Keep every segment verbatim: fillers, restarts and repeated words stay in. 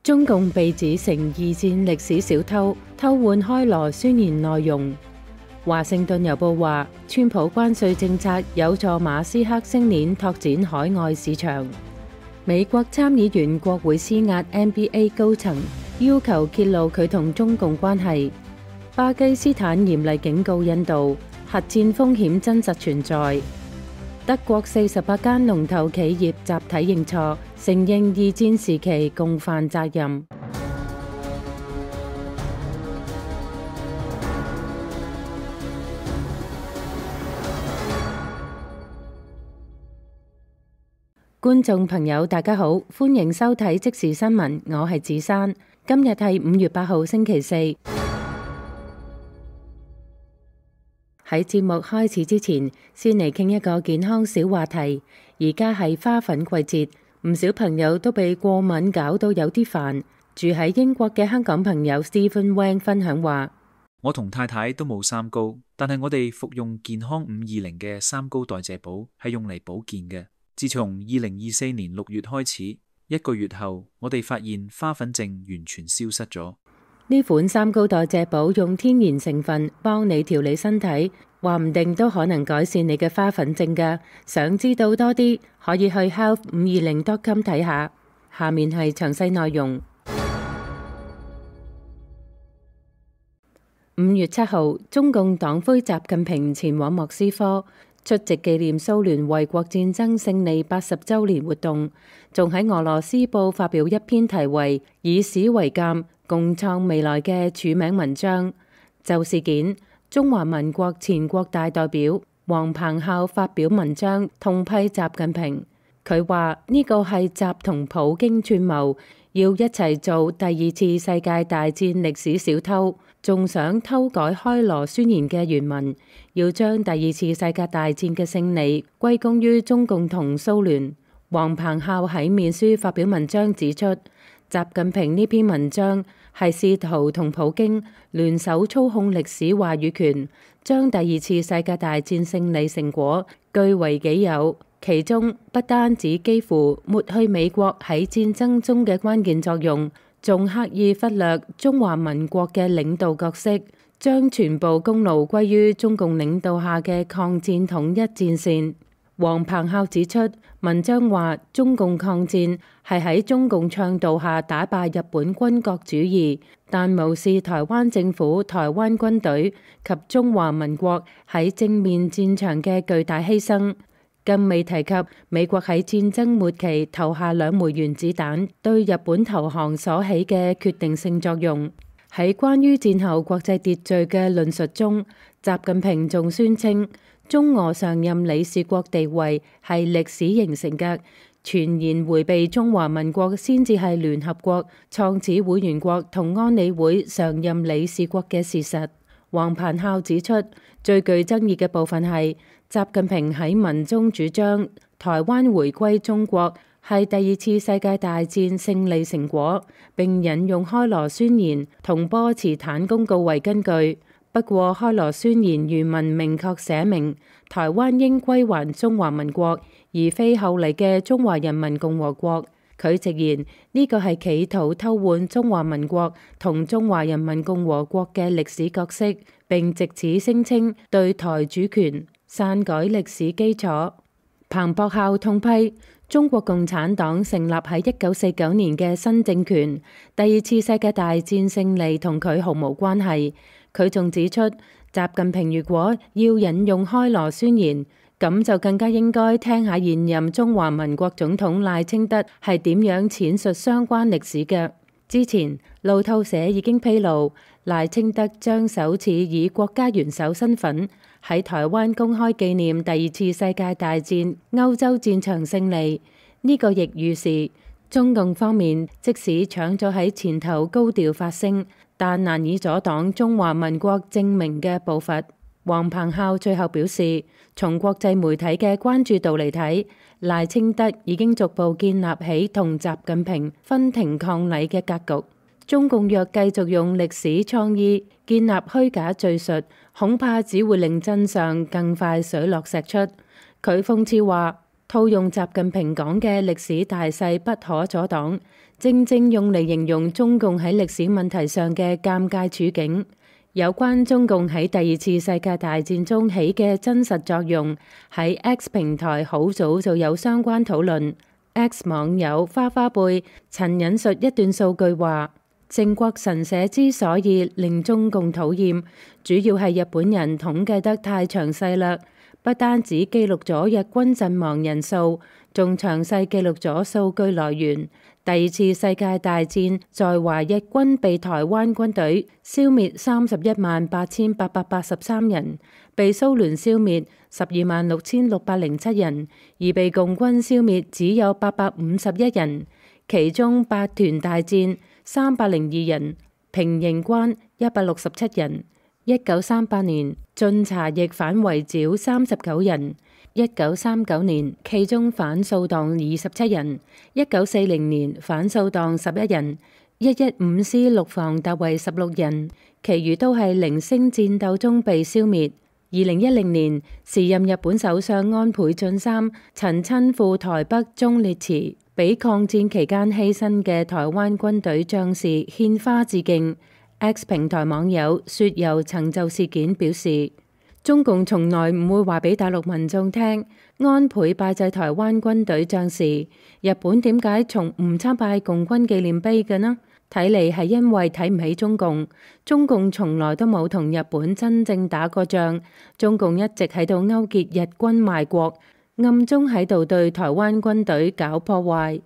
中共被指成二戰歷史小偷，偷換開羅宣言內容。華盛頓郵報話，川普關稅政策有助馬斯克星鏈拓展海外市場。美國參議員國會施壓 N B A 高層，要求揭露佢同中共關係。巴基斯坦嚴厲警告印度，核戰風險真實存在。德國四十八間龍頭企業集體認錯，承認二戰時期共犯責任。觀眾朋友大家好，歡迎收睇即時新聞，我係子珊。今日係五月八號星期四。喺節目開始之前，先嚟傾一個健康小話題。而家係花粉季節，唔少朋友都被過敏搞到有啲煩。住喺英國嘅香港朋友 Stephen Wang 分享話：我同太太都冇三高，但係我哋服用健康五二零嘅三高代謝寶係用嚟保健嘅。自從二零二四年六月開始，一個月後，我哋發現花粉症完全消失咗。呢款三高代謝寶用天然成分幫你調理身體，話唔定都可能改善你嘅花粉症㗎。想知道多啲，可以去 health 五二零 dot com 睇下。下面係詳細內容。五月七號，中共黨魁習近平前往莫斯科出席紀念蘇聯衛國戰爭勝利八十週年活動，仲喺俄羅斯報發表一篇題為《以史為鑑，共創未來》嘅署名文章。就事件，中華民國前國大代表黃鵬孝發表文章痛批習近平。佢話呢個係習同普京串謀，要一齊做第二次世界大戰歷史小偷，仲想偷改開羅宣言嘅原文，要將第二次世界大戰嘅勝利歸功於中共同蘇聯。黃鵬孝喺面書發表文章指出，習近平呢篇文章係試圖同普京聯手操控歷史話語權，將第二次世界大戰勝利成果據為己有。其中不單止幾乎抹去美國喺戰爭中嘅關鍵作用，仲刻意忽略中華民國嘅領導角色，將全部功勞歸於中共領導下嘅抗戰統一戰線。黃鵬孝指出，文章話中共抗戰係喺中共倡導下打敗日本軍國主義，但無視台灣政府、台灣軍隊及中華民國喺正面戰場嘅巨大犧牲。更未提及美國喺戰爭末期投下兩枚原子彈，對日本投降所起嘅決定性作用。喺關於戰後國際秩序嘅論述中，習近平仲宣稱中俄常任理事國地位係歷史形成嘅，全然迴避中華民國先至係聯合國創始會員國同安理會常任理事國嘅事實。黃鵬孝指出，最具爭議嘅部分係習近平喺文中主張台灣回歸中國係第二次世界大戰勝利成果，並引用開羅宣言同波茨坦公告為根據。不過開羅宣言原文明確寫明台灣應歸還中華民國，而非後嚟嘅中華人民共和國。佢直言呢個係企圖偷換中華民國同中華人民共和國嘅歷史角色，並藉此聲稱對台主權，篡改歷史基礎。彭博校痛批中國共產黨成立喺一九四九年嘅新政權，第二次世界大戰勝利同佢毫無關係。佢仲指出，習近平如果要引用開羅宣言，咁就更加應該聽下現任中華民國總統賴清德係點樣闡述相關歷史嘅。之前路透社已經披露，賴清德將首次以國家元首身份喺台灣公開紀念第二次世界大戰歐洲戰場勝利。呢、這個亦預示中共方面即使搶咗喺前頭高調發聲，但難以阻擋中華民國正名嘅步伐。黃鵬孝最後表示，從國際媒體嘅關注度嚟睇，賴清德已經逐步建立起同習近平分庭抗禮嘅格局。中共若繼續用歷史創意建立虛假敘述，恐怕只會令真相更快水落石出。佢諷刺話，套用習近平講嘅歷史大勢不可阻擋，正正用嚟形容中共喺歷史問題上嘅尷尬處境。有關中共喺第二次世界大戰中起嘅真實作用，喺 X 平台好早就有相關討論。X 網友花花貝曾引述一段數據話，靖國神社之所以令中共討厭，主要係日本人統計得太詳細啦，不單止記錄咗日軍陣亡人數，仲詳細記錄咗數據來源。第二次世界大戰在華日軍被台灣軍隊消滅三十一萬八千八百八十三人，被蘇聯消滅十二萬六千六百零七人，而被共軍消滅只有八百五十一人。其中八團大戰三百零二人，平型關一百六十七人。一九三八年晉察冀反圍剿三十九人。一九三九年其中反掃蕩二十七人，一九四零年反掃蕩十一人，一一五師陸防特為十六人，其餘都係零星戰鬥中被消滅。二零一零年時任日本首相安倍晉三曾親赴台北忠烈祠，俾抗戰期間犧牲嘅台灣軍隊將士獻花致敬。X 平台網友雪游曾就事件表示，中共從來唔會話俾大陸民眾聽，安倍拜祭台灣軍隊將士。日本點解從唔參拜共軍紀念碑嘅呢？睇嚟係因為睇唔起中共。中共從來都冇同日本真正打過仗，中共一直喺度勾結日軍賣國，暗中喺度對台灣軍隊搞破壞。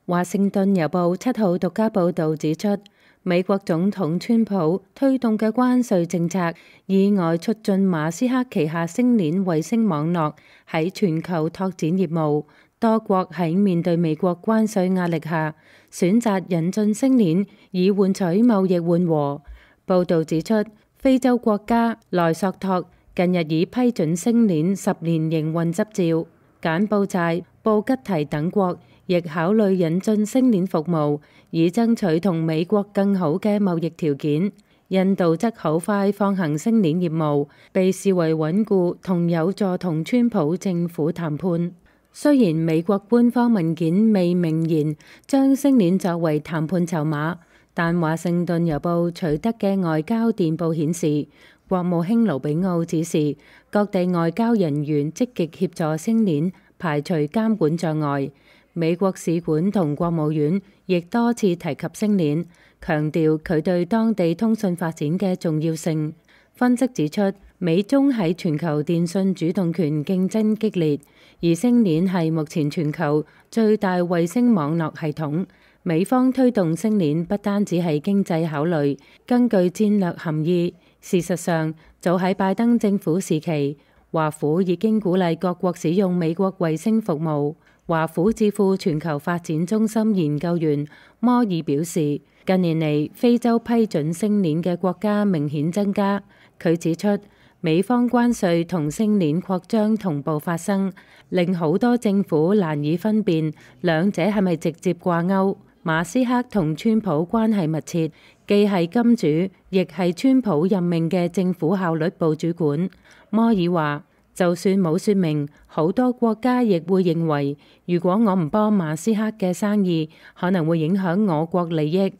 華盛頓郵報七號獨家報導指出，美國總統川普推動嘅關稅政策意外促進馬斯克旗下星鏈衛星網絡喺全球拓展業務。多國喺面對美國關稅壓力下，選擇引進星鏈以換取貿易緩和。報導指出，非洲國家萊索托近日已批准星鏈十年營運執照，柬埔寨、布吉提等國亦考慮引進星鏈服務，以爭取同美國更好嘅貿易條件。印度則好快放行星鏈業務，被視為穩固同有助同川普政府談判。雖然美國官方文件未明言將星鏈作為談判籌碼，但華盛頓郵報取得嘅外交電報顯示，國務卿盧比奧指示各地外交人員積極協助星鏈排除監管障礙。美國使館同國務院亦多次提及星鏈，強調佢對當地通訊發展嘅重要性。分析指出，美中喺全球電信主動權競爭激烈，而星鏈係目前全球最大衛星網絡系統。美方推動星鏈不單止係經濟考慮，更具戰略含義。事實上，早喺拜登政府時期，華府已經鼓勵各國使用美國衛星服務。華府智庫全球發展中心研究員摩爾表示，近年嚟非洲批准星鏈嘅國家明顯增加。佢指出，美方關稅同星鏈擴張同步發生，令好多政府難以分辨兩者係咪直接掛鈎。馬斯克同川普關係密切，既係金主，亦係川普任命嘅政府效率部主管。摩爾話，就算冇説明，好多國家亦會認為，如果我唔幫馬斯克嘅生意，可能會影響我國利益。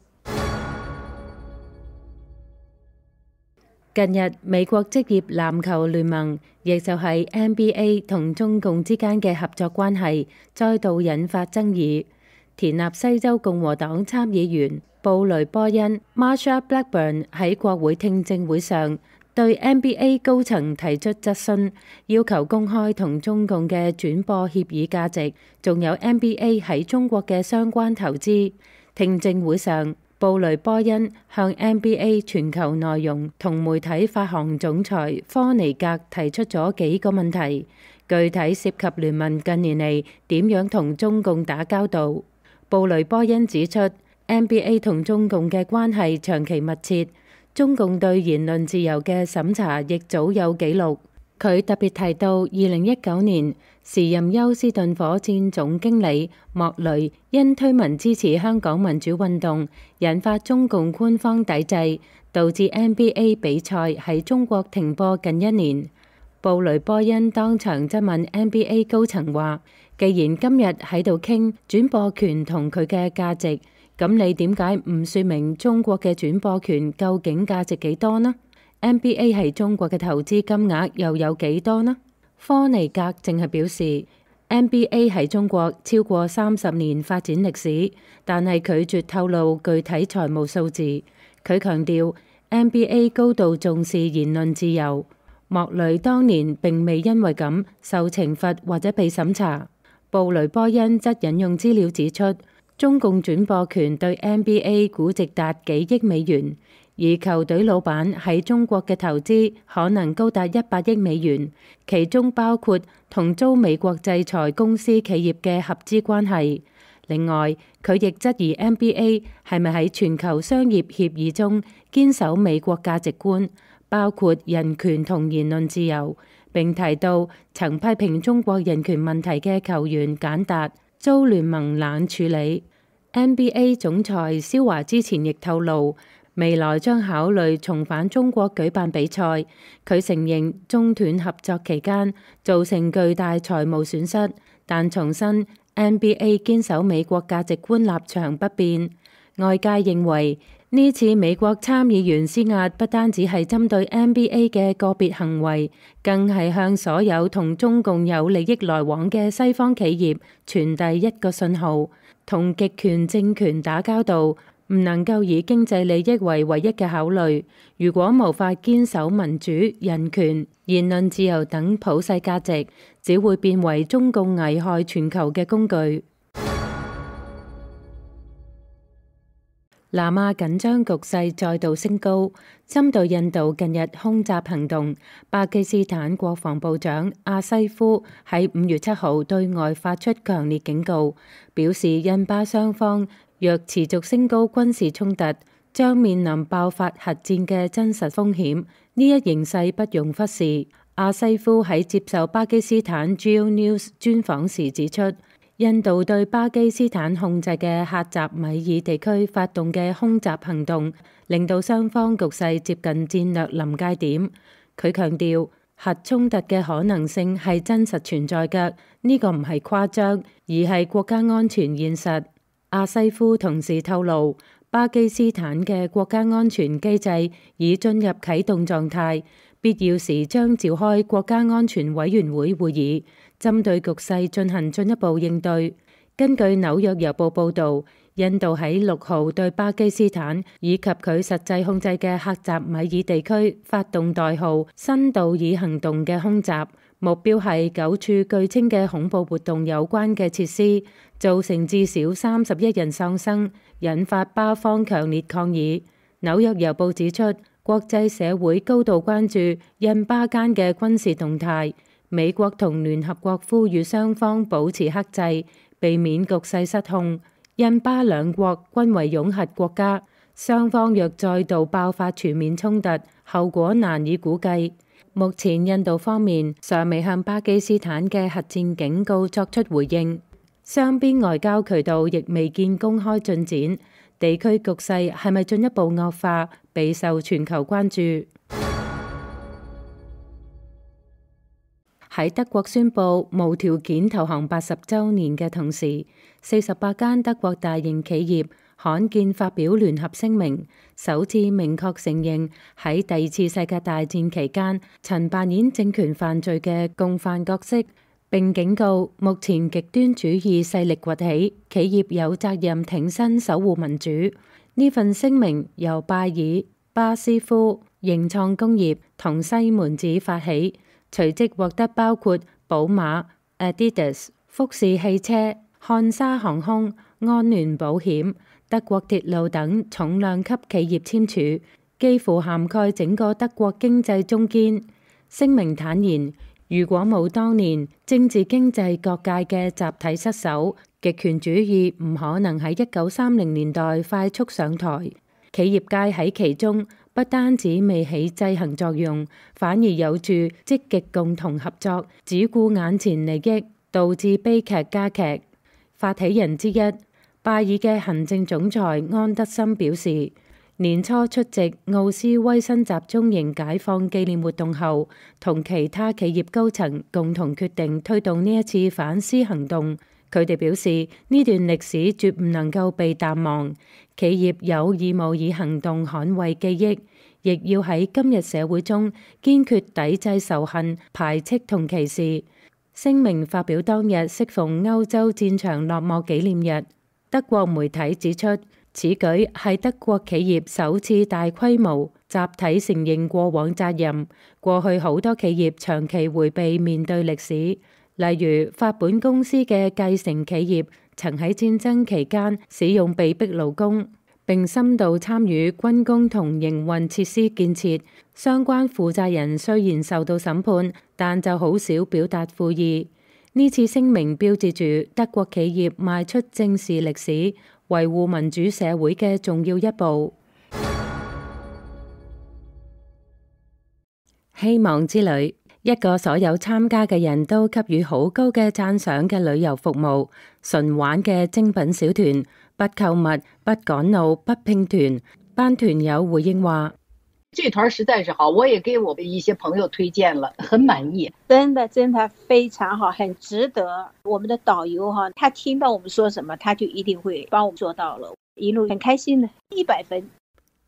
近日，美國職業籃球聯盟，亦就係 N B A 同中共之間嘅合作關係，再度引發爭議。田納西州共和黨參議員布雷波恩 Marsha Blackburn 喺國會聽證會上，對 N B A 高層提出質詢，要求公開同中共嘅轉播協議價值，仲有 N B A 喺中國嘅相關投資。聽證會上，布雷波恩向 N B A 全球內容同媒體發行總裁科尼格提出咗幾個問題，具體涉及聯盟近年嚟點樣同中共打交道。布雷波恩指出， N B A 同中共嘅關係長期密切，中共對言論自由嘅審查亦早有記錄。佢特別提到，二零一九年時任休斯頓火箭總經理莫雷因推文支持香港民主運動，引發中共官方抵制，導致 N B A 比賽喺中國停播近一年。布雷波恩當場質問 N B A 高層話：既然今日喺度傾轉播權同佢嘅價值，咁你點解唔說明中國嘅轉播權究竟價值幾多呢？ N B A 係中國嘅投資金額又有幾多呢？科尼格淨係表示 N B A 喺中國超過三十年發展歷史，但係拒絕透露具體財務數字。佢強調 N B A 高度重視言論自由。莫雷當年並未因為咁受懲罰或者被審查。布雷波恩則引用資料指出，中共轉播權對 N B A 估值達幾億美元，而球隊老闆喺中國嘅投資可能高達一百億美元，其中包括同遭美國制裁公司企業嘅合資關係。另外，佢亦質疑 N B A 係咪喺全球商業協議中堅守美國價值觀，包括人權同言論自由，並提到曾批評中國人權問題嘅球員簡達遭聯盟冷處理。N B A 總裁肖華之前亦透露，未來將考慮重返中國舉辦比賽。佢承認中斷合作期間造成巨大財務損失，但重申 N B A 堅守美國價值觀立場不變。外界認為呢次美國參議員施壓不單只係針對 N B A 嘅個別行為，更係向所有同中共有利益來往嘅西方企業傳遞一個信號：同極權政權打交道，唔能夠以經濟利益為唯一嘅考慮。如果無法堅守民主、人權、言論自由等普世價值，只會變為中共危害全球嘅工具。南亞緊張局勢再度升高，針對印度近日空襲行動，巴基斯坦國防部長阿西夫喺五月七號對外發出強烈警告，表示印巴雙方若持續升高軍事衝突，將面臨爆發核戰嘅真實風險。呢一形勢不容忽視。阿西夫喺接受巴基斯坦 Geo News 專訪時指出，印度對巴基斯坦控制嘅喀什米爾地區發動嘅空襲行動，令到雙方局勢接近戰略臨界點。佢強調，核衝突嘅可能性係真實存在嘅，呢個唔係誇張，而係國家安全現實。阿西夫同時透露，巴基斯坦嘅國家安全機制已進入啟動狀態，必要時將召開國家安全委員會會議，針對局勢進行進一步應對。根據紐約郵報報導，印度喺六號對巴基斯坦以及佢實際控制嘅喀什米爾地區發動代號新道爾行動嘅空襲，目標係九處據稱嘅恐怖活動有關嘅設施，造成至少三十一人喪生，引發巴方強烈抗議。紐約郵報指出，國際社會高度關注印巴間嘅軍事動態，美國同聯合國呼籲雙方保持克制，避免局勢失控。印巴兩國均為擁核國家，雙方若再度爆發全面衝突，後果難以估計。目前印度方面尚未向巴基斯坦嘅核戰警告作出回應，雙邊外交渠道亦未見公開進展，地區局勢係咪進一步惡化，備受全球關注。喺德國宣布無條件投降八十週年嘅同時，四十八間德國大型企業罕見發表聯合聲明，首次明確承認喺第二次世界大戰期間曾扮演政權犯罪嘅共犯角色，並警告目前極端主義勢力崛起，企業有責任挺身守護民主。呢份聲明由拜耳、巴斯夫、盈創工業同西門子發起，隨即獲得包括寶馬、Adidas、福士汽車、漢莎航空、安聯保險、德國鐵路等重量級企業簽署，幾乎涵蓋整個德國經濟中堅。聲明坦言，如果冇當年政治經濟各界嘅集體失守，極權主義唔可能喺一九三零年代快速上台。企業界喺其中不單止未起制衡作用，反而有住積極共同合作，只顧眼前利益，導致悲劇加劇。發起人之一拜耳嘅行政總裁安德森表示，年初出席奧斯威辛集中營解放紀念活動後，同其他企業高層共同決定推動呢一次反思行動。佢哋表示，呢段歷史絕唔能夠被淡忘，企業有義務以行動捍衛記憶，亦要喺今日社會中堅決抵制仇恨、排斥同歧視。聲明發表當日適逢歐洲戰場落幕紀念日。德國媒體指出，此舉係德國企業首次大規模集體承認過往責任。過去好多企業長期迴避面對歷史，例如法本公司嘅繼承企業曾喺戰爭期間使用被逼勞工，並深度參與軍工同營運設施建設。相關負責人雖然受到審判，但就好少表達悔意。呢次聲明標誌住德國企業邁出正視歷史、維護民主社會嘅重要一步。希望之旅，一個所有參加嘅人都給予好高嘅讚賞嘅旅遊服務，純玩嘅精品小團，不購物、不趕路、不拼團。班團友回應話：這團實在是好，我也給我一些朋友推薦了，很滿意。真的真的非常好，很值得。我們的導遊哈，他聽到我們說什麼，他就一定會幫我們做到了，一路很開心的，一百分。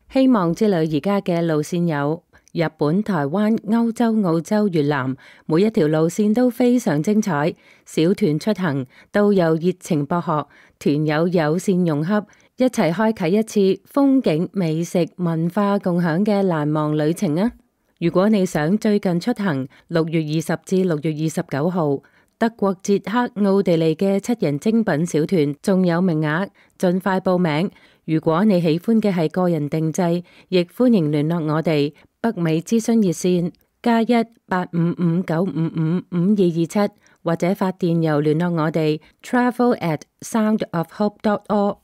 希望之旅而家嘅路線有日本、台灣、歐洲、澳洲、越南，每一條路線都非常精彩。小團出行，導遊熱情博學，團友友善融洽，一齊開啟一次風景、美食、文化共享嘅難忘旅程啊！如果你想最近出行，六月二十至六月二十九號，德國、捷克、奧地利嘅七人精品小團仲有名額，盡快報名。如果你喜歡嘅係個人定製，亦歡迎聯絡我哋北美諮詢熱線加一八五五九五五五二二七，或者發電郵聯絡我哋 travel at soundofhope dot org。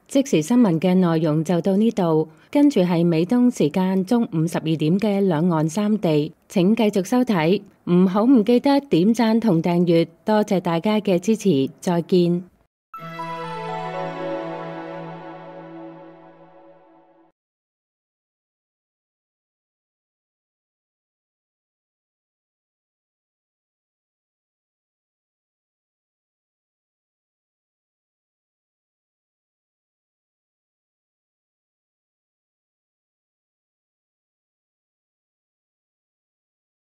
即時新聞嘅內容就到呢度，跟住係美東時間中午十二點嘅兩岸三地，請繼續收睇，唔好唔記得點讚同訂閱，多謝大家嘅支持，再見。